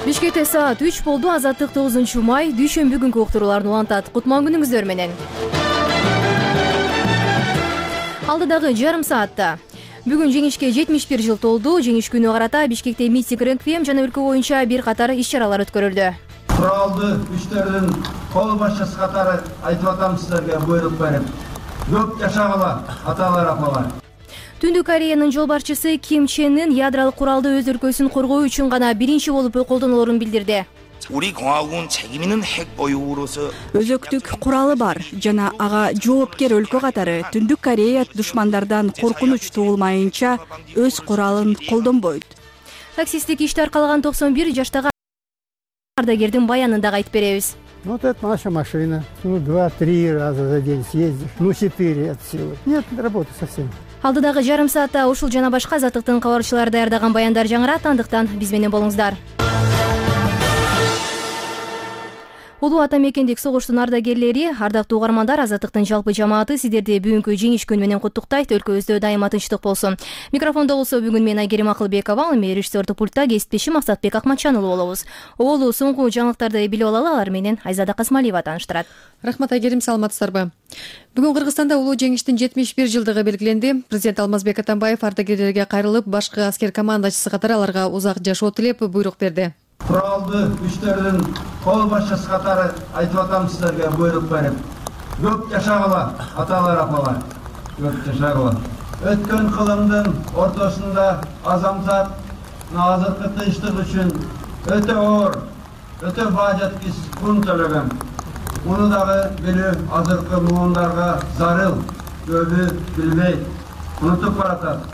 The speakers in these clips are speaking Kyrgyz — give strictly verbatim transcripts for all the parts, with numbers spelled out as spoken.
Бишкекте саат үч болду. Азаттык тогузунчу май дүйшөмбү күнкү уктурууларды улантат. Кутман күнүңүздөр менен. Алдыдагы жарым саатта. Бүгүн жеңишке жетимиш бир жыл толду. Жеңиш күнү карата Бишкекте митинг, реквием жана өлкө боюнча бир катар иш-чаралар өткөрүлдү. Куралды күчтөрдүн кол башчысы катары айтып атам силерге буйрук берип. Көп жашагыла, аталар, апалар. Түндүк Кореянын жолбарчысы Ким Чен Ын ядралык куралды өз өлкөсүн коргоо үчүн гана биринчи болуп колдонолорун билдирди. 우리 공화국은 책임 있는 핵 보유국으로서 өзөктүк куралы бар жана ага жоопкер өлкө катары Түндүк Корея душмандардан коркунуч туулмайынча өз куралын колдонбойт. Таксисттик ишти аркалаган токсон бир жаштагы ардагердин баянын дагы айтып беребиз. Ну, вот это наша машина. Ну, два-три раза за день съездишь. Ну, четыре от силы. Нет работы совсем. Алдыдагы жарым саатта ушул жана башка азаттыктын кабарчылары даярдаган баяндар жаңырат, андыктан биз менен болуңуздар. Улуу ата мекендик согуштун ардагерлери, ардактуу угармандар, азаттыктын жалпы жамааты сиздерди бүгүнкү жеңиш күнү менен куттуктайт. Өлкөбүздө дайыма тынчтык болсун. Микрофондо болсо бүгүн мен Айгерим Акылбекова, эми режиссердик пультта кесиптешим Максатбек Акматчан уулу болобуз. Оболу соңку жаңылыктарды билип алалы, алар менен Айзада Касмалиева тааныштырат. Рахмат Айгерим, саламатсыздарбы? Бүгүн Кыргызстанда улуу жеңиштин жетимиш бир жылдыгы белгиленди. Президент Алмазбек Атамбаев ардагерлерге кайрылып, башкы аскер командачысы катары аларга узак жашоо тилеп буйрук берди. Куралды күчтөрдүн кол башчысы катары айтып атам силерге буйрук берип. Көп жашагыла, аталар, апалар. Көп жашагыла. Өткөн кылымдын ортосунда азамзат азыркы тынчтык үчүн өтө оор, өтө бажаткис кун төлөгөн. Муну дагы билүү азыркы муундарга зарыл, көбү билбейт, унутуп баратат.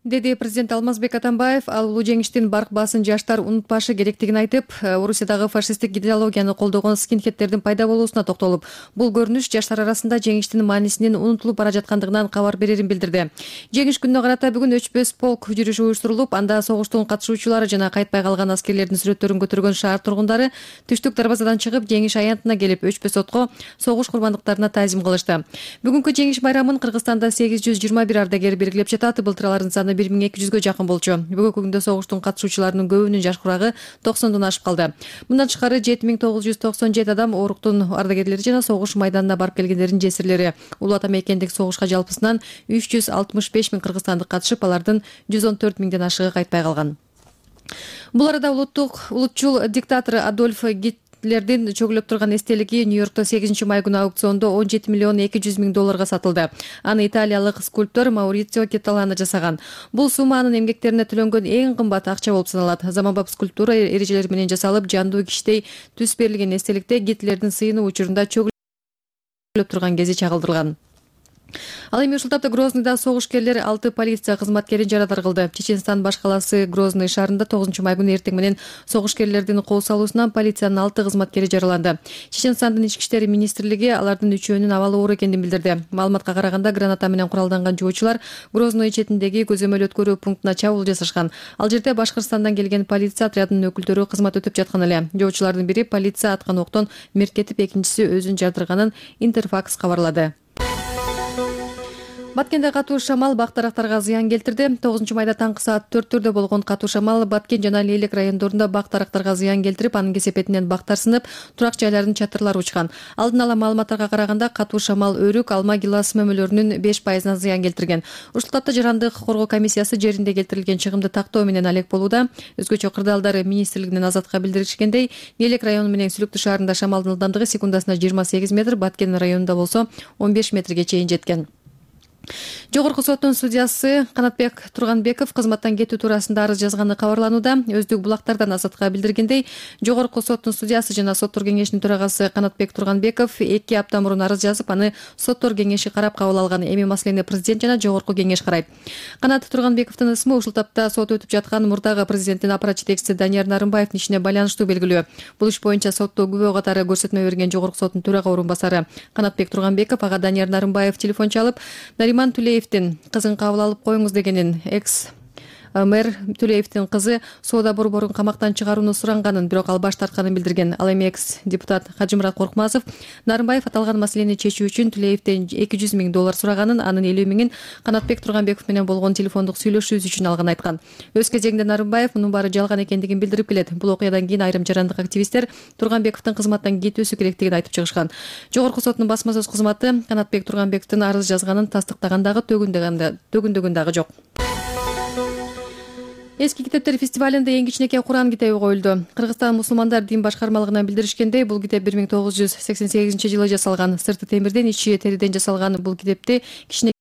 Деди президент Алмазбек Атамбаев. Ал улуу жеңиштин барк баасын жаштар унутпашы керектигин айтып, Орусиядагы фашисттик идеологияны колдогон скинхедтердин пайда болуусуна токтолуп, бул көрүнүш жаштар арасында жеңиштин маанисинин унутулуп бара жаткандыгынан кабар берерин билдирди. Жеңиш күнүнө карата бүгүн өчпөс полк жүрүшү уюштурулуп, анда согуштун катышуучулары жана кайтпай калган аскерлердин сүрөттөрүн көтөргөн шаар тургундары түштүк дарбазадан чыгып, жеңиш аянтына келип, өчпөс отко согуш курмандыктарына таазим кылышты. Бүгүнкү жеңиш байрамын Кыргызстанда сегиз жүз жыйырма бир ардагер белгилеп жатат. Былтыр алардын саны бир миң эки жүзгө жакын болчу. Бүгүнкү күндө согуштун катышуучуларынын көбүнүн жаш курагы токсондон ашып калды. Мындан тышкары жети миң тогуз жүз токсон жети адам оруктун ардагерлери жана согуш майданына барып келгендердин жесирлери. Улуу ата мекендик согушка жалпысынан үч жүз алтымыш беш миң кыргызстандык катышып, алардын жүз он төрт миңден ашыгы кайтпай калган. Бул арада улуттук улутчул диктатор Адольф Гитлердин чөгүлөп турган эстелиги Нью-Йоркто сегизинчи май күнү аукциондо он жети миллион эки жүз миң долларга сатылды. Аны италиялык скульптор Маурицио Кеталана жасаган. Бул сумма анын эмгектерине төлөнгөн эң кымбат акча болуп саналат. Заманбап скульптура эрежелери менен жасалып, жандуу кичтей түс берилген эстеликте Гитлердин сыйынуу учурунда чөгүлөп турган кези чагылдырылган. Ал эми ушул тапта Грознойдо согушкерлер алты полиция кызматкерин жарадар кылды. Чеченстан баш каласы Грозный шаарында тогузунчу май күнү эртең менен согушкерлердин кол салуусунан полициянын алты кызматкери жараланды. Чеченстандын ички иштер министрлиги алардын үчөөнүн абалы оор экенин билдирди. Маалыматка караганда граната менен куралданган жоочулар Грозной четиндеги көзөмөл өткөрүү пунктуна чабуул жасашкан. Ал жерде Башкыртстандан келген полиция отрядынын өкүлдөрү кызмат өтүп жаткан эле. Жоочулардын бири полиция аткан октон мерт, экинчиси өзүн жардырганын Интерфакс кабарлады. Баткенде катуу шамал бак-дарактарга зыян келтирди. тогузунчу майда таңкы саат төрттөрдө болгон катуу шамал Баткен жана Лейлек райондорунда бак-дарактарга зыян келтирип, анын кесепетинен бактар сынып, турак жайлардын чатырлары учкан. Алдын ала маалыматтарга караганда, катуу шамал өрүк, алма, гилас мөмөлөрүнүн беш пайызына зыян келтирген. Ушул тапта жарандык коргоо комиссиясы жеринде келтирилген чыгымды тактоо менен алек болууда. Өзгөчө кырдаалдар министрлигинин Азатка билдиришкендей, Лейлек району менен Сүлүктүү шаарында шамалдын ылдамдыгы секундасына жыйырма сегиз метр, Баткен районунда болсо он беш метрге чейин жеткен. Жогорку соттун судьясы Канатбек Турганбеков кызматтан кетүү туурасында арыз жазганы кабарланууда. Өздүк булактардан Азатка билдиргендей, Жогорку соттун судьясы жана соттор кеңешинин төрагасы Канатбек Турганбеков эки апта мурун арыз жазып, аны соттор кеңеши карап кабыл алган. Эми маселени президент жана Жогорку кеңеш карайт. Канат Турганбековдун ысмы ушул тапта сот өтүп жеткан мурдагы президенттин аппарат жетекчиси Данияр Нарымбаевдин ишине байланыштуу белгилүү. Бул иш боюнча сотто күбө катары көрсөтмө берген Жогорку соттун төрага орун басары Канатбек Турганбеков ага Данияр Нарымбаев телефон чалып, Нариман Тулеевдин кызын кабыл алып коюңуз дегенин, экс Мэр Төлеевдин кызы соода борборун камактан чыгарууну суранганын, бирок ал баш тартканын билдирген. Ал эми экс депутат Кажымурат Коркмазов Нарымбаев аталган маселени чечүү үчүн Төлеевден эки жүз миң доллар сураганын, анын элүү миңин Канатбек Турганбеков менен болгон телефондук сүйлөшүүсү үчүн алганын айткан. Өз кезегинде Нарымбаев мунун баары жалган экендигин билдирип келет. Бул окуядан кийин айрым жарандык активисттер Турганбековдун кызматтан кетүүсү керектигин айтып чыгышкан. Жогорку соттун басма сөз кызматы Канатбек Турганбековдун арыз жазганын тастыктагандагы төгүндөгүн дагы жок. Эски китептер фестивалында эң кичинекей Куран китеби коюлду. Кыргызстан мусулмандар дин башкармалыгынан билдиришкендей, бул китеп бир миң тогуз жүз сексен сегизинчи жылы жасалган. Сырты темирден, ичи териден жасалган бул китепти кичине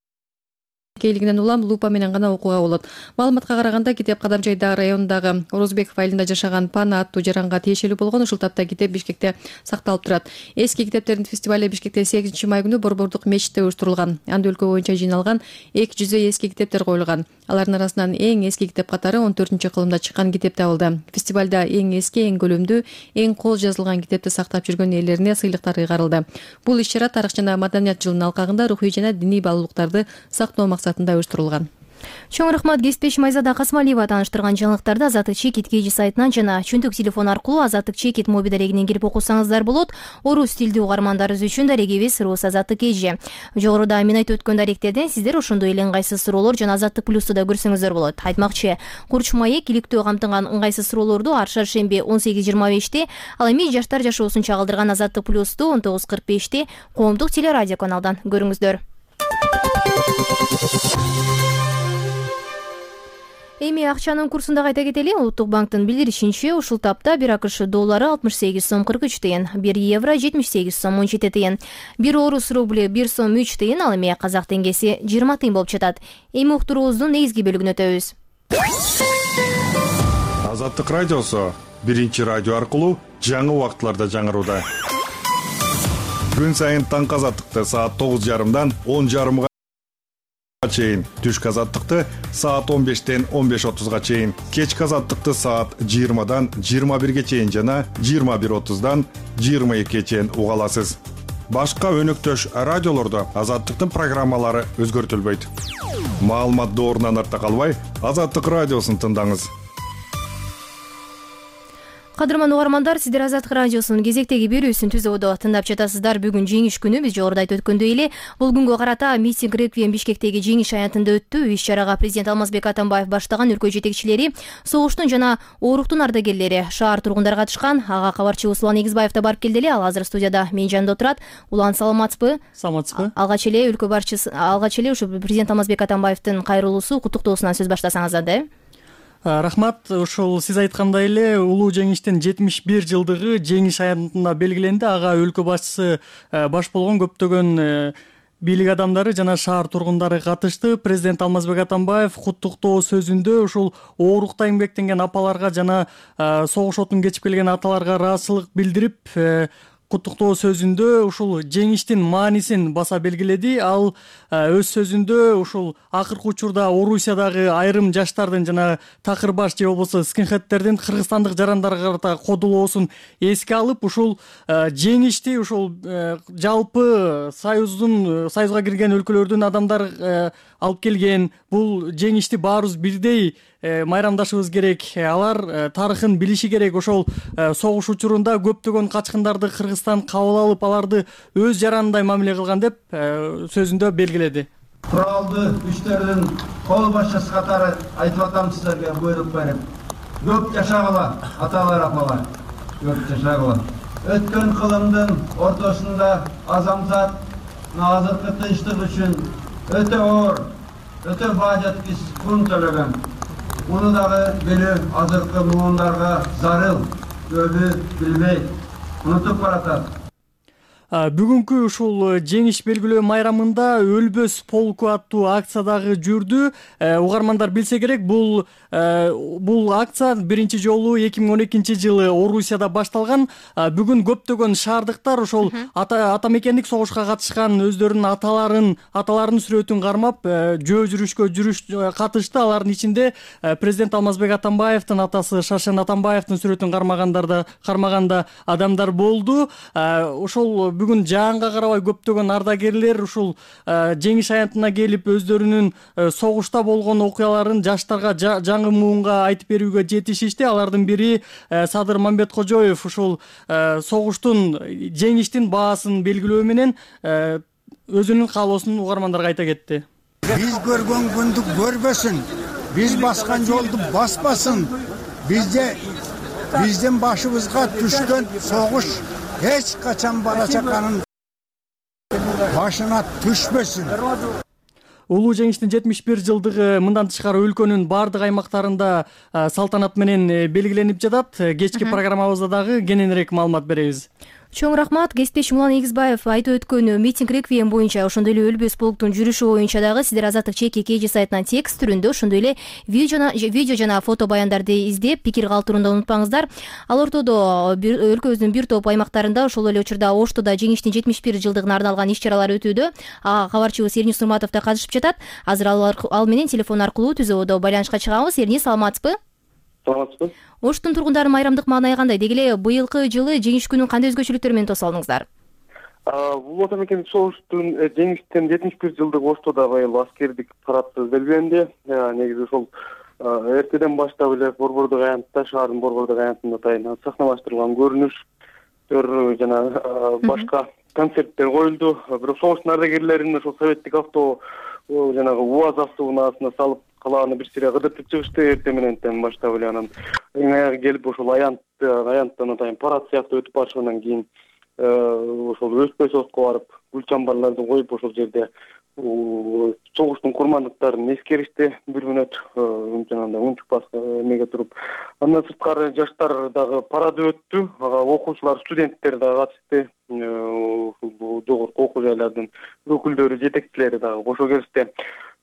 кейлигинен улам лупа менен гана окууга болот. Маалыматка караганда, китеп Кадамжайда районундагы Орозбеков айылында жашаган Пана аттуу жаранга тиешелүү болгон. Ушул тапта китеп Бишкекте сакталып турат. Эски китептердин фестивали Бишкекте сегизинчи май күнү Борбордук мечитте уюштурулган. Анда өлкө боюнча жыйналган эки жүздөй эски китептер коюлган. Алардын арасынан эң эски китеп катары он төртүнчү кылымда чыккан китеп табылды. Фестивалда эң эски, эң көлөмдүү, эң кол жазылган китепти сактап жүргөн ээлерине сыйлыктар ыйгарылды. Бул иш-чара тарых жана маданият жылынын алкагында рухий жана диний баалуулуктарды сактоо максатында уюштурулган. Чоң рахмат Кесипбек Майзада Касмалиева тааныштырган жаңылыктарды Азаттык Чекит кей жи сайтынан жана чөнтөк телефон аркылуу Азаттык Чекит моби дарегинен кирип окусаңыздар болот. Орус тилдүү угармандарыбыз үчүн дарегибиз Рус Азаттык кей жи. Жогоруда мен айтып өткөн даректерден сиздер ошондой эле ыңгайсыз суроолор жана Азаттык плюсту да көрсөңүздөр болот. Айтмакчы, Курч маек иликтөө камтыган ыңгайсыз суроолорду ар шаршемби он сегиз жыйырма беште, ал эми жаштар жашоосун чагылдырган Азаттык плюсту он тогуз кырк беште коомдук телерадио каналдан көрүңүздөр. Эми акчанын курсун да кайта кетели. Улуттук банктын билдиришинче, ушул тапта бир АКШ доллары алтымыш сегиз сом кырк үч тыйын, бир евро жетимиш сегиз сом он жети тыйын, бир орус рубли бир сом үч тыйын, ал эми казак теңгеси жыйырма тыйын болуп жатат. Эми уктуруубуздун негизги бөлүгүнө өтөбүз. Азаттык радиосу биринчи радио аркылуу жаңы убакытларда жаңырууда. Күн сайын таңкы азаттыкты саат тогуз жарымдан он жарымга чейин, түшкү азаттыкты саат он бештен он беш отузга чейин, кечки азаттыкты саат жыйырмадан жыйырма бирге чейин жана жыйырма бир отуздан жыйырма экиге чейин уга аласыз. Башка өнөктөш радиолордо азаттыктын программалары өзгөртүлбөйт. Маалымат доорунан артта калбай, Азаттык радиосун тыңдаңыз. Кадырман угармандар, сиздер Азаттык радиосунун кезектеги берүүсүн түзүүдө тыңдап жатасыздар. Бүгүн жеңиш күнү, биз жогоруда айтып өткөндөй эле, бул күнгө карата митинг реквием Бишкектеги жеңиш аянтында өттү. Иш-чарага президент Алмазбек Атамбаев баштаган өлкө жетекчилери, согуштун жана ооруктун ардагерлери, шаар тургундары катышкан. Ага кабарчыбыз Улан Эгизбаев да барып келди эле. Ал азыр студияда менин жанымда отурат. Улан, саламатсызбы? Саламатсызбы? Алгач эле өлкө башчысы, алгач эле ушу президент Алмазбек Атамбаевдин кайрылуусу, куттуктоосунан сөз баштасаңыз да. Рахмат. Ошол сиз айткандай эле улуу жеңиштин жетимиш бир жылдыгы жеңиш аянтында белгиленди. Ага өлкө башчысы баш болгон көптөгөн бийлик адамдары жана шаар тургундары катышты. Президент Алмазбек Атамбаев куттуктоо сөзүндө ушул оорукта эмгектенген апаларга жана согуш отун кечип келген аталарга ыраазычылык билдирип, куттуктоо сөзүндө ушул жеңиштин маанисин баса белгиледи. Ал өз сөзүндө ушул акыркы учурда Орусиядагы айрым жаштардын жана такыр баш же болбосо скинхедтердин кыргызстандык жарандарга карата кодулоосун эске алып, ушул жеңишти ушул жалпы союздун союзга кирген өлкөлөрдүн адамдары алып келген. Бул жеңишти баарыбыз бирдей майрамдашыбыз керек. Алар тарыхын билиши керек. Ошол согуш учурунда көптөгөн качкындарды Кыргызстан кабыл алып, аларды өз жаранындай мамиле кылган деп сөзүндө белгиледи. Куралдуу күчтөрдүн кол башчысы катары айтып атам сиздерге буйрук берип, көп жашагыла аталар апалар, көп жашагыла. Өткөн кылымдын ортосунда азамзат азыркы тынчтык үчүн өтө оор, өтө бажаткис кун төлөгөн. Муну дагы билүү азыркы муундарга зарыл, көбү билбейт, унутуп баратат. Бүгүнкү ушул жеңиш белгилөө майрамында Өлбөс полку аттуу акция дагы жүрдү. Угармандар билсе керек, бул бул акция биринчи жолу эки миң он экинчи жылы Орусияда башталган. Бүгүн көптөгөн шаардыктар ошол ата мекендик согушка катышкан өздөрүнүн аталарын, аталарынын сүрөтүн кармап, жөө жүрүшкө жүрүш катышты. Алардын ичинде президент Алмазбек Атамбаевдин атасы Шашен Атамбаевдин сүрөтүн кармагандар да кармаганда адамдар болду. Ошол бүгүн жаанга карабай көптөгөн ардагерлер ушул жеңиш аянтына келип өздөрүнүн согушта болгон окуяларын жаштарга жаңы муунга айтып берүүгө жетишишти. Алардын бири Садыр Мамбеткожоев ушул согуштун жеңиштин баасын белгилөө менен өзүнүн каалоосун угармандарга айта кетти. Биз көргөн күндү көрбөсүн, биз баскан жолду баспасын, бизде биздин башыбызга түшкөн согуш эч качан бала чаканын башына түшпөсүн. Улуу жеңиштин жетимиш бир жылдыгы мындан тышкары өлкөнүн бардык аймактарында салтанат менен белгиленип жатат. Кечки программабызда дагы кененирээк маалымат беребиз. Чоң рахмат. Кесиптешим Улан Эгизбаев айтып өткөн митинг реквием боюнча, ошондой эле өлбөс полктун жүрүшү боюнча дагы сиздер Азаттык чеки кеже сайтынан текст түрүндө, ошондой эле видео жана фото баяндарды издеп, пикир калтырууну унутпаңыздар. Ал ортодо өлкөбүздүн бир топ аймактарында, ошол эле учурда Оштодо жеңиштин жетимиш бир жылдыгына арналган иш-чаралар өтүүдө. Ага кабарчыбыз Эрнис Нурматов да катышып жатат. Азыр ал менен телефон аркылуу түз абалда байланышка чыгабыз. Эрнис, саламатсызбы? Саламатсызбы. Оштун тургундары майрамдык маанай кандай? Деги эле быйылкы жылы жеңиш күнүн кандай өзгөчөлүктөр менен тоса алдыңыздар? Бул ата мекендик согуштун жеңиштин жетимиш бир жылдыгы Оштодо быйыл аскердик парадты белгиленди. Негизи ошол эртеден баштап эле борбордук аянтта, шаардын борбордук аянтында атайын сахналаштырылган көрүнүштөр жана башка концерттер коюлду. Бирок согуштун ардагерлерин ошол советтик авто жанагы УАЗ автоунаасына салып калааны бир сире кыдыртып чыгышты эрте мененден баштап эле. Анан эң аягы келип ошол аянтты аянттан атайын парад сыяктуу өтүп барышынан кийин ошол өспөй сотко барып гүл чамбарларды коюп ошол жерде согуштун курмандыктарын эскеришти. Бир мүнөт жанагындай унчукпас эмеге туруп. Андан сырткары жаштар дагы парады өттү. Ага окуучулар, студенттер дагы катышты. Ушул жогорку окуу жайлардын өкүлдөрү, жетекчилери дагы кошо келишти.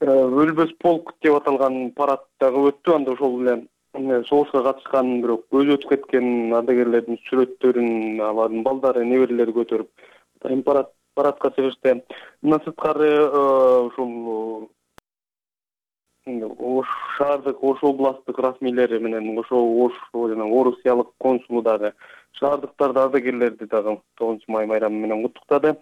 Өлбөс полк деп аталган парад дагы өттү. Анда ошол эле согушка катышкан, бирок өзү өтүп кеткен ардагерлердин сүрөттөрүн алардын балдары, неберелери көтөрүп атайын парад парадка чыгышты. Мындан сырткары ушул Ош шаардык, Ош областтык расмийлери менен ошо Ош жана Орусиялык консулу дагы шаардыктарды, ардагерлерди дагы тогузунчу май майрамы менен куттуктады.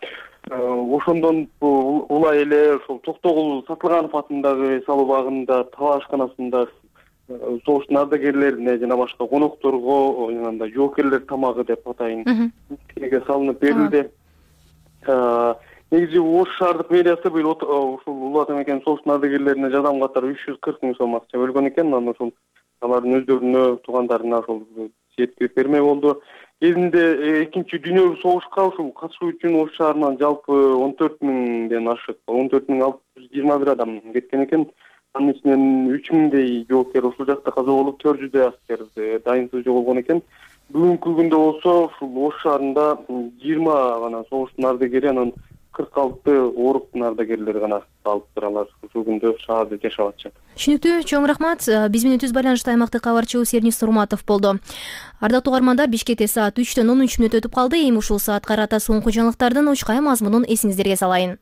Ошондон улай эле ошол Токтогул Сатылганов атындагы салуу багында, талашканасында согуштун ардагерлерине жана башка конокторго жанагындай жоокерлер тамагы деп атайын тиеге салынып берилди. Негизи Ош шаардык мэриясы быйыл ушул улуу ата мекендик согуштун ардагерлерине жардам катары үч жүз кырк миң сом акча бөлгөн экен. Анан ошол алардын өздөрүнө, туугандарына ошол жеткирип бермей болду. Кезинде экинчи дүйнөлүк согушка ушул катышуу үчүн Ош шаарынан жалпы он төрт миңден ашык, он төрт миң алты жүз жыйырма бир адам кеткен экен. Анын ичинен үч миңдей жоокер ушул жакта каза болуп, төрт жүздөй аскер дайынсыз жоголгон экен. Бүгүнкү күндө болсо ушул Ош шаарында жыйырма гана согуштун ардагери, анан кырк алты ооруктун ардагерлери гана калыптыр. Алар ушул күндө шаарда жашап атышат. Түшүнүктүү, чоң рахмат. Биз менен түз байланышта аймактык кабарчыбыз Эрнис Нурматов болду. Ардактуу угармандар, Бишкекте саат үчтөн он үч мүнөт өтүп калды. Эми ушул саатка карата соңку жаңылыктардын учкай мазмунун эсиңиздерге салайын.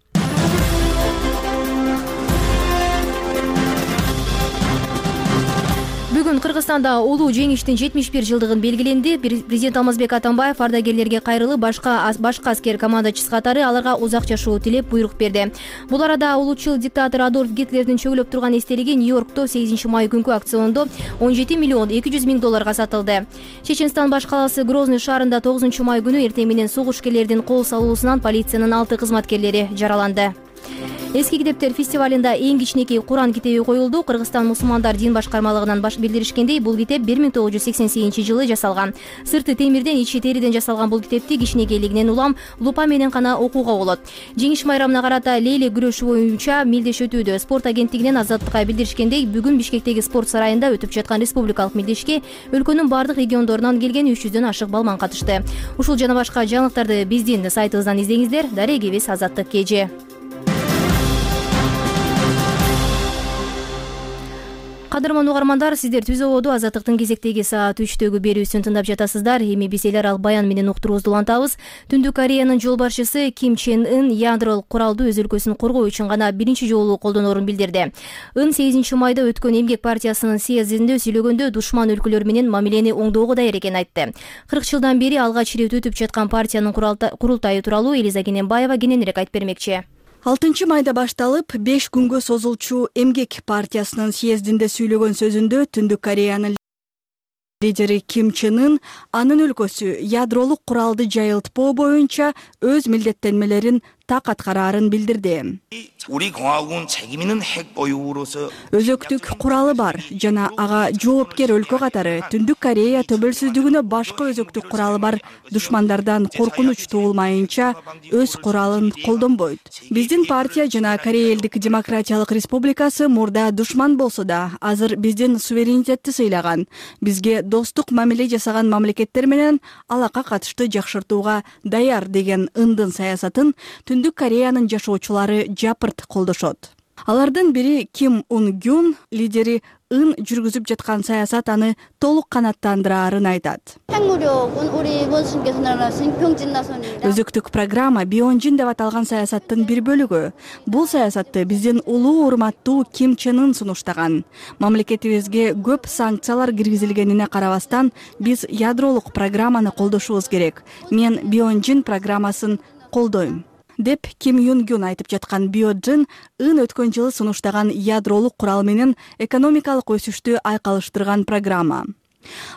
Бүгүн Кыргызстанда улуу жеңиштин жетимиш бир жылдыгын белгиленди. Президент Алмазбек Атамбаев ардагерлерге кайрылып, башка башка аскер командачысы катары аларга узак жашоо тилеп буйрук берди. Бул арада улуучул диктатор Адольф Гитлердин чөгүлөп турган эстелиги Нью-Йоркто сегизинчи май күнкү аукциондо он жети миллион эки жүз миң долларга сатылды. Чеченстан баш калаасы Грозный шаарында тогузунчу май күнү эртең менен согушкерлердин кол салуусунан полициянын алты кызматкерлери жараланды. Эски китептер фестивалында эң кичинекей Куран китеби коюлду. Кыргызстан мусулмандар дин башкармалыгынан баш билдиришкендей, бул китеп бир миң тогуз жүз сексен сегизинчи жылы жасалган. Сырты темирден, ичи териден жасалган бул китепти кичинекейлигинен улам лупа менен гана окууга болот. Жеңиш майрамына карата лейли күрөшү боюнча милдеш өтүүдө. Спорт агенттигинен Азаттыкка билдиришкендей, бүгүн Бишкектеги спорт сарайында өтүп жаткан республикалык милдешке өлкөнүн бардык региондорунан келген үч жүздөн ашык балман катышты. Ушул жана башка жаңылыктарды биздин сайтыбыздан издеңиздер. Дарегибиз Азаттык кеже. Кадырман угармандар, сиздер Түз ободо Азаттыктын кезектеги саат үчтөгү берүүсүн тыңдап жатасыздар. Эми биз эл аралык баян менен уктуруубузду улантабыз. Түндүк Кореянын жол башчысы Ким Чен Ын ядролук куралды өз өлкөсүн коргоо үчүн гана биринчи жолу колдонорун билдирди. Ын сегизинчи майда өткөн Эмгек партиясынын съездинде сүйлөгөндө душман өлкөлөр менен мамилени оңдоого даяр экенин айтты. кырк жылдан бери алгач ирет өтүп жаткан партиянын курултайы тууралуу Элиза Кененбаева кененирээк айтып бермекчи. алтынчы майда башталып беш күнгө созулчу Эмгек партиясынын съездинде сүйлөгөн сөзүндө Түндүк Кореянын лидери Ким Чен Ын анын өлкөсү ядролук куралды жайылтпоо боюнча өз милдеттенмелерин так аткараарын билдирди. 우리 공화국은 책임 있는 핵 보유로서 Өзөктүк куралы бар жана ага жоопкер өлкө катары Түндүк Корея төбөлсүздүгүнө башка өзөктүк куралы бар душмандардан коркунуч туулмайынча өз куралын колдонбойт. Биздин партия жана Корея элдик демократиялык республикасы мурда душман болсо да, азыр биздин суверенитетти сыйлаган, бизге достук мамиле жасаган мамлекеттер менен алака катышты жакшыртууга даяр деген Ындын саясатын Түндүк Кореянын жашоочулары жапырт колдошот. Алардын бири Ким Ун Гюн, лидери Ын жүргүзүп жаткан саясат аны толук канаттандыраарын айтат. Өзөктүк программа Бионжин деп аталган саясаттын бир бөлүгү. Бул саясатты биздин улуу урматтуу Ким Чен Ын сунуштаган. Мамлекетибизге көп санкциялар киргизилгенине карабастан, биз ядролук программаны колдошубуз керек. Мен Бионжин программасын колдойм деп Ким Юн Гюн айтып жаткан Бионжин Ын өткөн жылы сунуштаган ядролук курал менен экономикалык өсүштү айкалыштырган программа.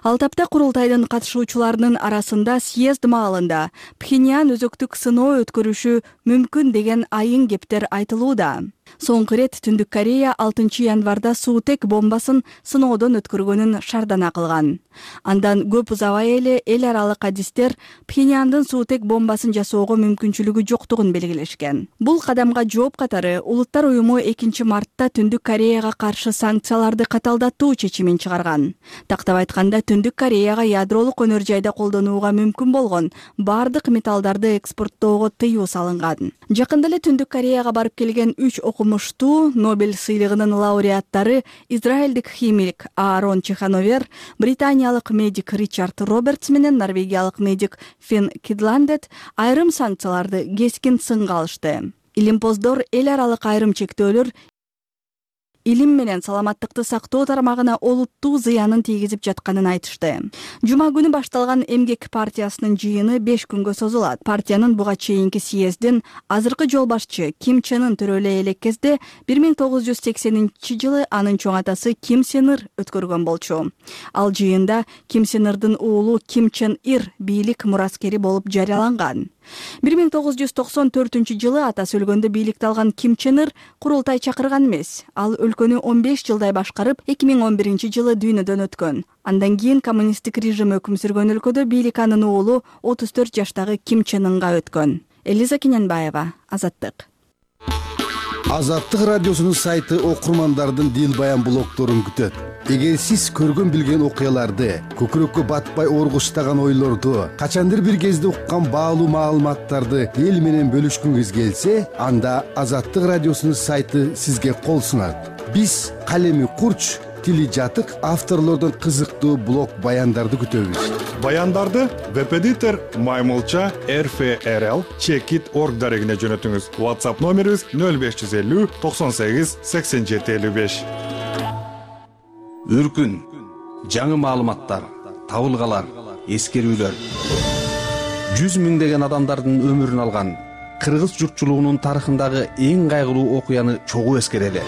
Ал тапта курултайдын катышуучуларынын арасында съезд маалында Пхеньян өзөктүк сыноо өткөрүшү мүмкүн деген айың кептер айтылууда. Соңку рет Түндүк Корея алтынчы январда суутек бомбасын сыноодон өткөргөнүн шардана кылган. Андан көп узабай эле эл аралык адистер Пхеньяндын суутек бомбасын жасоого мүмкүнчүлүгү жоктугун белгилешкен. Бул кадамга жооп катары Улуттар уюму экинчи мартта Түндүк Кореяга каршы санкцияларды каталдатуу чечимин чыгарган. Тактап айтканда, Түндүк Кореяга ядролук өнөр жайда колдонууга мүмкүн болгон бардык металлдарды экспорттоого тыюу салынган. Жакында эле Түндүк Кореяга барып келген үч окумуштуу Нобель сыйлыгынын лауреаттары израилдик химик Аарон Чехановер, британиялык медик Ричард Робертс менен норвегиялык медик Фин Кидландет айрым санкцияларды кескин сынга алышты. Илимпоздор эл аралык айрым чектөөлөр илим менен саламаттыкты сактоо тармагына олуттуу зыянын тийгизип жатканын айтышты. Жума күнү башталган Эмгек партиясынын жыйыны беш күнгө созулат. Партиянын буга чейинки съездин азыркы жол башчы Ким Чен Ын төрөлө элек кезде бир миң тогуз жүз сексенинчи жылы анын чоң атасы Ким Сен Ир өткөргөн болчу. Ал жыйында Ким Сен Ирдин уулу Ким Чен Ир бийлик мураскери болуп жарыяланган. бир миң тогуз жүз токсон төртүнчү жылы атасы өлгөндө бийликти алган Ким Чен Ир курултай чакырган эмес. Ал өлкөнү он беш жылдай башкарып, эки миң он биринчи жылы дүйнөдөн өткөн. Андан кийин коммунисттик режим өкүм сүргөн өлкөдө бийлик анын уулу отуз төрт жаштагы Ким Чен Ынга өткөн. Элиза Кененбаева, Азаттык. Азаттык радиосунун сайты окурмандардын дил баян блогторун күтөт. Эгер сиз көргөн билген окуяларды, көкүрөккө батпай оргуштаган ойлорду, качандыр бир кезде уккан баалуу маалыматтарды эл менен бөлүшкүңүз келсе, анда Азаттык радиосунун сайты сизге кол сунат. Биз калеми курч, тили жатык авторлордон кызыктуу блог баяндарды күтөбүз. Баяндарды веб-эдитор Маймылча эр эф эр эл чекит точка орг дарегине жөнөтүңүз. WhatsApp номерибиз нөл беш жүз элүү токсон сегиз сексен жети элүү беш. Үркүн, жаңы маалыматтар, табылгалар, эскерүүлөр. жүз миңдеген адамдардын өмүрүн алган кыргыз журтчулугунун тарыхындагы эң кайгылуу окуяны чогуу эскерели.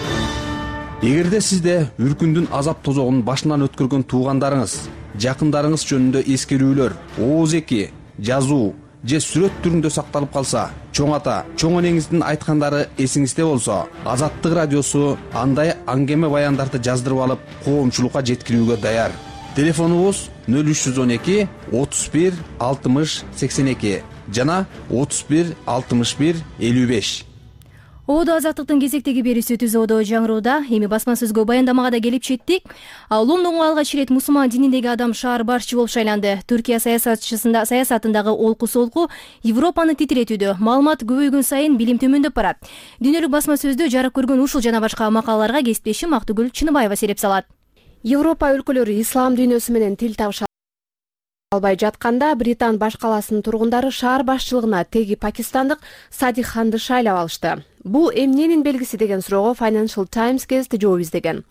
Эгерде сизде үркүндүн азап тозогун башынан өткөргөн туугандарыңыз, жакындарыңыз жөнүндө эскерүүлөр, ооз эки, жазуу же сүрөт түрүндө сакталып калса, чоң ата, чоң энеңиздин айткандары эсиңизде болсо, Азаттык радиосу андай аңгеме баяндарды жаздырып алып, коомчулукка жеткирүүгө даяр. Телефонубуз нөл үч жүз он эки отуз бир алтымыш сексен эки жана отуз бир алтымыш бир элүү беш. Ободо Азаттыктын кезектеги берүүсү Түз ободо жаңырууда. Эми басма сөзгө баяндамага да келип четтик. Лондонго алгач ирет мусулман дининдеги адам шаар башчы болуп шайланды. Түркия саясатчысында саясатындагы олку-солку Европаны титиретүүдө. Маалымат көбөйгөн сайын билим төмөндөп барат. Дүйнөлүк басма сөздө жарык көргөн ушул жана башка макалаларга кесиптешим Актыгүл Чыныбаева сереп салат. Европа өлкөлөрү ислам дүйнөсү менен тил табыша албай жатканда Британ баш каласынын тургундары шаар башчылыгына теги пакистандык Садик Ханды шайлап алышты. Бул эмненин белгиси деген суроого Financial Times гезити жооп издеген.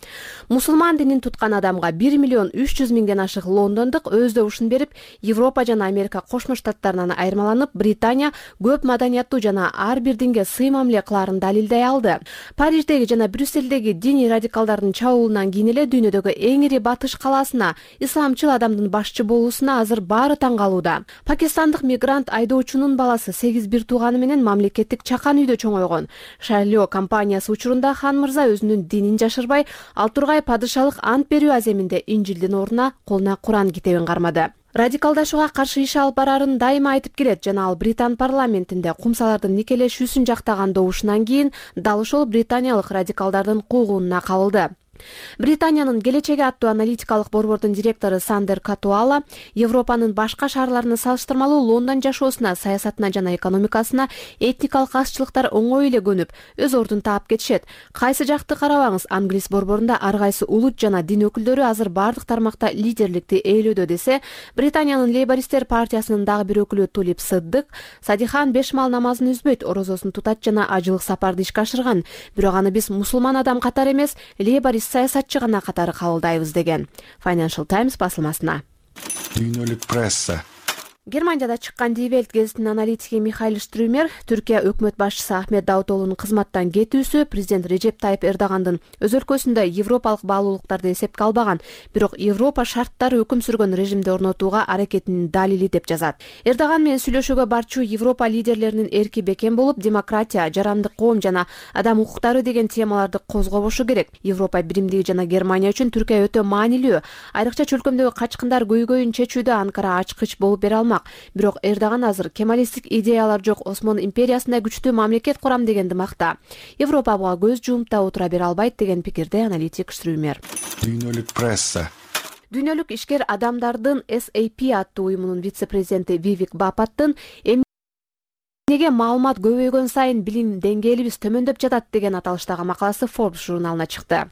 Мусулман динин туткан адамга бир миллион үч жүз миңден ашык лондондук өз добушун берип, Европа жана Америка Кошмо Штаттарынан айырмаланып, Британия көп маданияттуу жана ар бир динге сый мамиле кылаарын далилдей алды. Париждеги жана Брюссельдеги диний радикалдардын чабуулунан кийин эле дүйнөдөгү эң ири батыш калаасына исламчыл адамдын башчы болуусуна азыр баары таң калууда. Пакистандык мигрант айдоочунун баласы сегиз бир тууганы менен мамлекеттик чакан үйдө чоңойгон. Шайлоо компаниясы учурунда хан мырза өзүнүн динин жашырбай, ал тургай падышалык ант берүү аземинде Инжилдин ордуна колуна Куран китебин кармады. Радикалдашууга каршы иш алып барарын дайыма айтып келет жана ал Британ парламентинде кумсалардын никелешүүсүн жактаган добушунан кийин дал ошол британиялык радикалдардын куугунуна кабылды. Британиянын келечеги аттуу аналитикалык борбордун директору Сандер Катуала Европанын башка шаарларына салыштырмалуу Лондон жашоосуна, саясатына жана экономикасына этникалык азчылыктар оңой эле көнүп, өз ордун таап кетишет. Кайсы жакты карабаңыз, англис борборунда ар кайсы улут жана дин өкүлдөрү азыр бардык тармакта лидерликти ээлөөдө десе, Британиянын Лейбористтер партиясынын дагы бир өкүлү Тулип Сыддык Садихан беш мал намазын үзбөйт, орозосун тутат жана ажылык сапарды ишке ашырган. Бирок аны биз мусулман адам катары эмес, лейборист саясатчы гана катары кабылдайбыз деген Financial Times басылмасына. Дүйнөлүк пресса. Германияда чыккан Die Welt гезитинин аналитиги Михаил Штрюмер Түркия өкмөт башчысы Ахмет Давутоглунун кызматтан кетүүсү президент Режеп Тайып Эрдогандын өз өлкөсүндө европалык баалуулуктарды эсепке албаган, бирок Европа шарттары өкүм сүргөн режимди орнотууга аракетинин далили деп жазат. Эрдоган менен сүйлөшүүгө барчу Европа лидерлеринин эрки бекем болуп, демократия, жарандык коом жана адам укуктары деген темаларды козгобошу керек. Европа биримдиги жана Германия үчүн Түркия өтө маанилүү. Айрыкча чөлкөмдөгү качкындар көйгөйүн чечүүдө Анкара ачкыч болуп бере алмак. Бирок Эрдоган азыр кемалисттик идеялар жок Осмон империясында күчтүү мамлекет курам дегенди макта. Европа буга көз жумуп да отура бере албайт деген пикирде аналитик Штрюмер. Дүйнөлүк пресса. Дүйнөлүк ишкер адамдардын эс эй пи аттуу уюмунун вице-президенти Вивик Бапаттын эмнеге маалымат көбөйгөн сайын билим деңгээлибиз төмөндөп жатат деген аталыштагы макаласы Forbes журналына чыкты.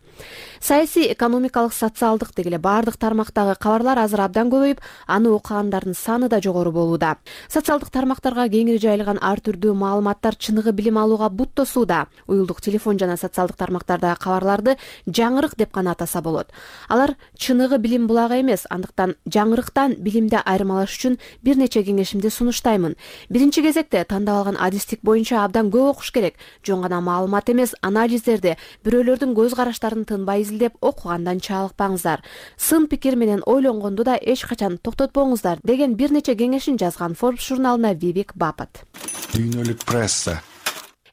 Саясий, экономикалык, социалдык дегеле бардык тармактагы кабарлар азыр абдан көбөйүп, аны окугандардын саны да жогору болууда. Социалдык тармактарга кеңири жайылган ар түрдүү маалыматтар чыныгы билим алууга бут тосууда. Уюлдук телефон жана социалдык тармактардагы кабарларды жаңырык деп гана атаса болот. Алар чыныгы билим булагы эмес, андыктан жаңырыктан билимди айырмалаш үчүн бир нече кеңешимди сунуштаймын. Биринчи кезекте тандап алган адистик боюнча абдан көп окуш керек. Жөн гана маалымат эмес, анализдерди, бирөөлөрдүн көз караштарын тынбай изилдеп окугандан чалыкпаңыздар. Сын пикир менен ойлонгонду да эч качан токтотпоңуздар деген бир нече кеңешин жазган Forbes журналына Вивик Бапат. Дүйнөлүк пресса.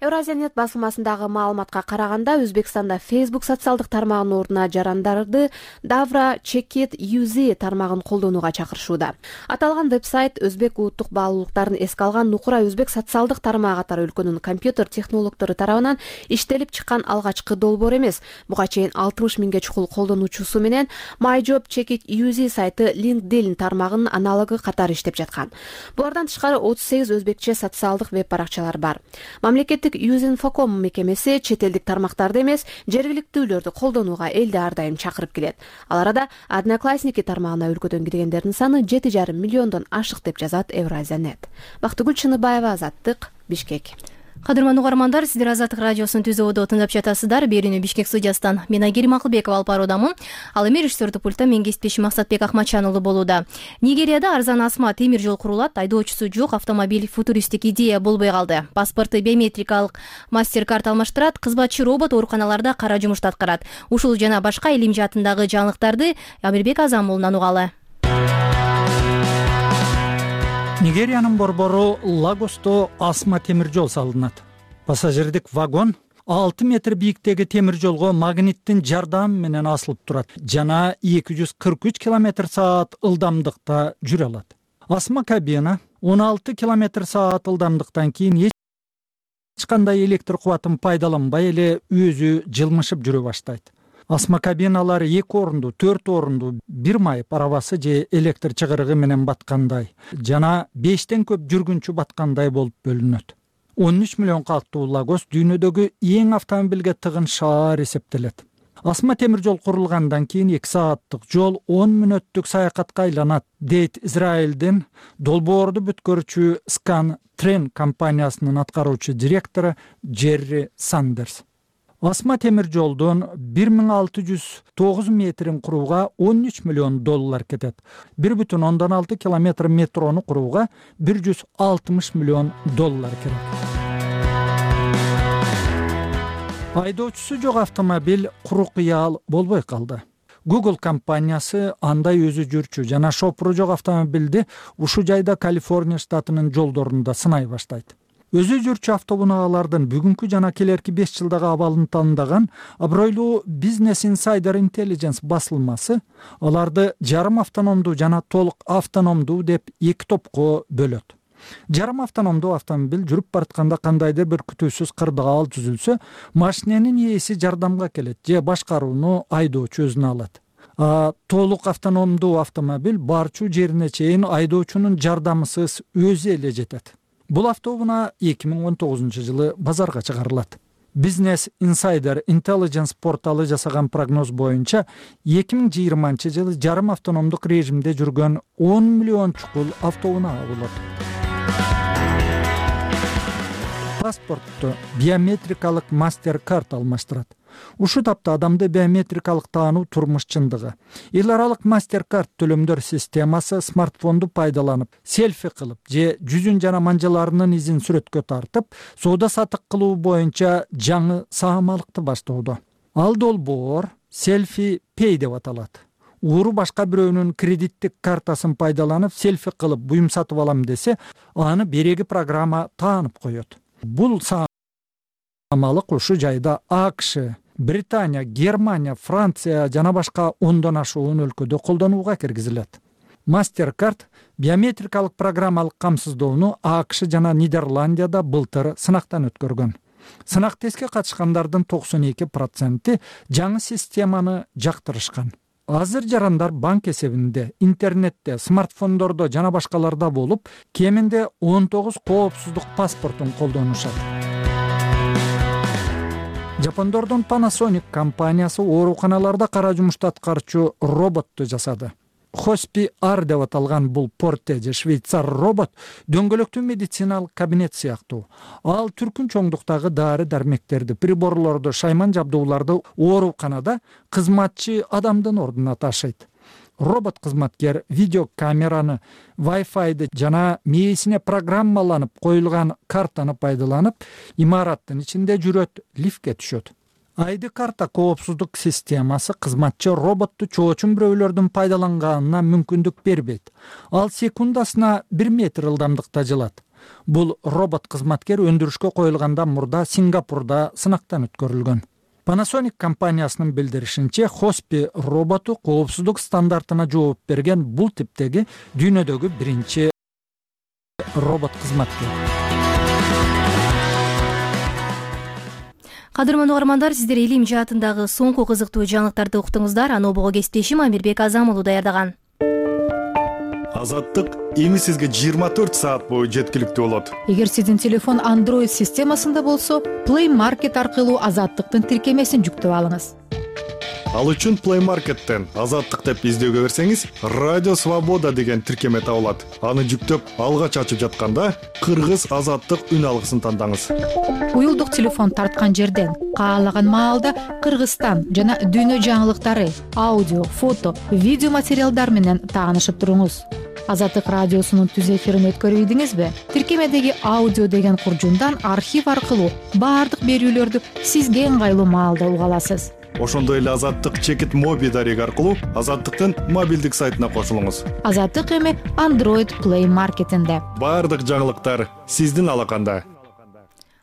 Евразиянет басылмасындагы маалыматка караганда, Өзбекстанда Facebook социалдык тармагынын ордуна жарандарды Davra Checkit ю зет тармагын колдонууга чакырышууда. Аталган вебсайт өзбек улуттук баалуулуктарын эске алган Нукура өзбек социалдык тармагы катары өлкөнүн компьютер технологдору тарабынан иштелип чыккан алгачкы долбоор эмес. Буга чейин алтымыш миңге чукул колдонуучусу менен MyJob Checkit ю зет сайты LinkedIn тармагынын аналогу катары иштеп жаткан. Булардан тышкары отуз сегиз өзбекче социалдык веб баракчалар бар. Мамлекеттик Юзинфоком мекемеси чет элдик тармактарды эмес, жергиликтүүлөрдү колдонууга элди ар дайым чакырып келет. Ал арада Одноклассники тармагына өлкөдөн киргендердин саны жети жарым миллиондон ашык деп жазат Евразиянет. Бактыгүл Чыныбаева, Азаттык, Бишкек. Кадырман угармандар, сиздер Азаттык радиосунун түзүүдө тыңдап жатасыздар. Берүүнү Бишкек студиясынан мен Айгерим Акылбекова алып баруудамын. Ал эми режиссердик пультта мен кесиптешим Максатбек Акматчан уулу болууда. Нигерияда арзан асма темир жол курулат, айдоочусу жок автомобиль футуристик идея болбой калды. Паспорту биометрикалык мастер-карт алмаштырат, кызматчы робот ооруканаларда кара жумушту аткарат. Ушул жана башка илим жаатындагы жаңылыктарды Амирбек Азамуулунан угалы. Нигериянын борбору Лагосто асма темир жол салынат. Пассажирдик вагон алты метр бийиктеги темир жолго магниттин жардамы менен асылып турат жана эки жүз кырк үч километр саат ылдамдыкта жүрө алат. Асма кабина он алты километр саат ылдамдыктан кийин эч кандай электр кубатын пайдаланбай эле өзү жылмышып жүрө баштайт. Асма кабиналар эки орунду, төрт орунду, бир майып арабасы же электр чыгырыгы менен баткандай жана бештен көп жүргүнчү баткандай болуп бөлүнөт. он үч миллион калктуу Лагос дүйнөдөгү эң автомобилге тыгын шаар эсептелет. асма темир жол курулгандан кийин эки сааттык жол он мүнөттүк саякатка айланат, дейт Израилдин долбоорду бүткөрүүчү Скан Трен компаниясынын аткаруучу директору Джерри Сандерс. Асма темир жолдун бир миң алты жүз тогуз метрин курууга он үч миллион доллар кетет. бир бүтүн ондон алты километр метрону курууга бир жүз алтымыш миллион доллар керек. Айдоочусу жок автомобиль куру кыял болбой калды. Google компаниясы андай өзү жүрчү жана шопуру жок автомобилди ушул жайда Калифорния штатынын жолдорунда сынай баштайт. Өзү жүрчү автоунаалардын бүгүнкү жана келерки беш жылдагы абалын тандаган абройлуу Business Insider Intelligence басылмасы аларды жарым автономдуу жана толук автономдуу деп эки топко бөлөт. Жарым автономдуу автомобиль жүрүп баратканда кандайдыр бир күтүүсүз кырдаал түзүлсө, машиненин ээси жардамга келет же башкарууну айдоочу өзүнө алат. А толук автономдуу автомобиль барчу жерине чейин айдоочунун жардамысыз өзү эле жетет. Бул автоунаа эки миң он тогузунчу жылы базарга чыгарылат. Business Insider Intelligence порталы жасаган прогноз боюнча эки миң жыйырманчы жылы жарым автономдук режимде жүргөн он миллион чукул автоунаа болот. Паспортту биометрикалык мастер-карт алмаштырат. Ушул тапта адамды биометрикалык таануу турмуш чындыгы. Эл аралык мастер-карт төлөмдөр системасы смартфонду пайдаланып, селфи кылып же жүзүн жана манжаларынын изин сүрөткө тартып, соода сатык кылуу боюнча жаңы саамалыкты баштоодо. Ал долбоор селфи пей деп аталат. Ууру башка бирөөнүн кредиттик картасын пайдаланып селфи кылып буюм сатып алам десе, аны береги программа таанып коет. Бул саамалык ушул жайда АКШ, Британия, Германия, Франция жана башка ондон ашуун өлкөдө колдонууга киргизилет. Мастер-карт биометрикалык программалык камсыздоону АКШ жана Нидерландияда былтыр сынактан өткөргөн. Сынак тестке катышкандардын токсон эки проценти жаңы системаны жактырышкан. Азыр жарандар банк эсебинде, интернетте, смартфондордо жана башкаларда болуп, кеминде он тогуз коопсуздук паспортун колдонушат. Жапондордун Panasonic компаниясы ооруканаларда кара жумушту аткаруучу роботту жасады. Хоспи Ар деп аталган бул порте же швейцар робот дөңгөлөктүү медициналык кабинет сыяктуу. Ал түркүн чоңдуктагы дары дармектерди, приборлорду, шайман жабдууларды ооруканада кызматчы адамдын ордуна ташыйт. Робот кызматкер видеокамераны, Wi-Fi'ды жана мээсине программаланып коюлган картаны пайдаланып, имараттын ичинде жүрөт, лифтке түшөт. Айды карта коопсуздук системасы кызматчы роботту чоочун бирөөлөрдүн пайдаланганына мүмкүндүк бербейт. Ал секундасына бир метр ылдамдыкта жылат. Бул робот кызматкер өндүрүшкө коюлгандан мурда Сингапурда сынактан өткөрүлгөн. Panasonic компаниясынын билдиришинче, Хоспи роботу коопсуздук стандартына жооп берген бул типтеги дүйнөдөгү биринчи робот кызматкер. Кадырман угармандар, сиздер илим жаатындагы соңку кызыктуу жаңылыктарды уктуңуздар. Анобого кесиптешим Амирбек Азам уулу даярдаган. Азаттык эми сизге жыйырма төрт саат бою жеткиликтүү болот. Эгер сиздин телефон Android системасында болсо, Play Market аркылуу Азаттыктын тиркемесин жүктөп алыңыз. Ал үчүн Play Market'тен Азаттык деп издөөгө берсеңиз, Радио Свобода деген тиркеме табылат. Аны жүктөп, алгач ачып жатканда Кыргыз Азаттык үн алгысын тандаңыз. Уюлдук телефон тарткан жерден каалаган маалда Кыргызстан жана дүйнө жаңылыктары, аудио, фото, видео материалдар менен таанышып туруңуз. Азаттык радиосунун түз эфирин өткөрүп ийдиңизби? Тиркемедеги аудио деген куржундан архив аркылуу баардык берүүлөрдү сизге ыңгайлуу маалда уга аласыз. Ошондой эле Азаттык чекит моби дареги аркылуу Азаттыктын мобилдик сайтына кошулуңуз. Азаттык эми Android Play Market'инде. Баардык жаңылыктар сиздин алаканда.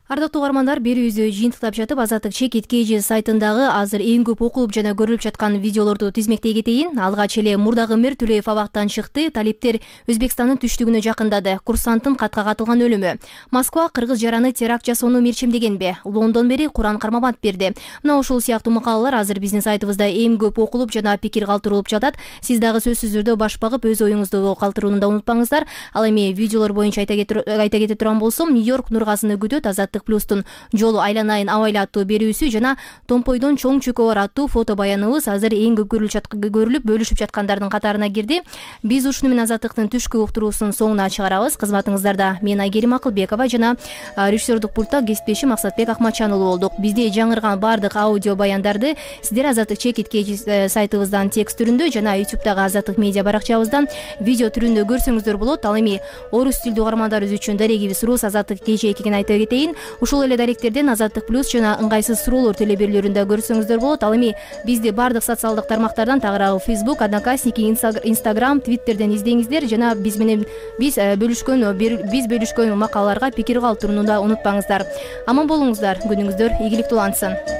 Ардактуу угармандар, берүүбүздү жыйынтыктап жатып, Азаттык чекит kg сайтындагы азыр эң көп окулуп жана көрүлүп жаткан видеолорду тизмектей кетейин. Алгач эле Мурдагымир Төлөев абактан чыкты. Талиптер Өзбекстандын түштүгүнө жакындады. Курсанттын катка катылган өлүмү. Москва кыргыз жараны теракт жасоону мерчемдегенби? Лондон бери Куран кармабат берди. Мына ушул сыяктуу макалалар азыр биздин сайтыбызда эң көп окулуп жана пикир калтырылып жатат. Сиз дагы сөзсүз түрдө баш багып өз оюңузду калтырууну да унутпаңыздар. Ал эми видеолор боюнча айта кетип турган болсом, Нью-Йорк Нургазыны күтөт. Азаттык Азаттык плюстун жолу айланайын абайла аттуу берүүсү жана Томпойдон чоң чөкө бар аттуу фото баяныбыз азыр эң көп көрүлүп бөлүшүп жаткандардын катарына кирди. Биз ушуну менен Азаттыктын түшкү уктуруусун соңуна чыгарабыз. Кызматыңыздарда мен Айгерим Акылбекова жана режиссердук пультта кесиптешим Максатбек Акматжан уулу болдук. Бизде жаңырган баардык аудио баяндарды сиздер Азаттык чекит кеч сайтыбыздан текст түрүндө жана ютубтагы Азаттык медиа баракчабыздан видео түрүндө көрсөңүздөр болот. Ал эми орус тилдүү угармандарыбыз үчүн дарегибиз Рус Азаттык кече экенин айтып кетейин. Ушул эле даректерден Азаттык плюс жана ыңгайсыз суроолор телеберлөрүндө көрсөңүздөр болот. Ал эми бизди баардык социалдык тармактардан тагыраагы Facebook, Одноклассники, Instagram, Twitterден издеңиздер жана биз менен биз бөлүшкөн биз бөлүшкөн макалаларга пикир калтырууну да унутпаңыздар. Аман болуңуздар, күнүңүздөр ийгиликтүү улансын.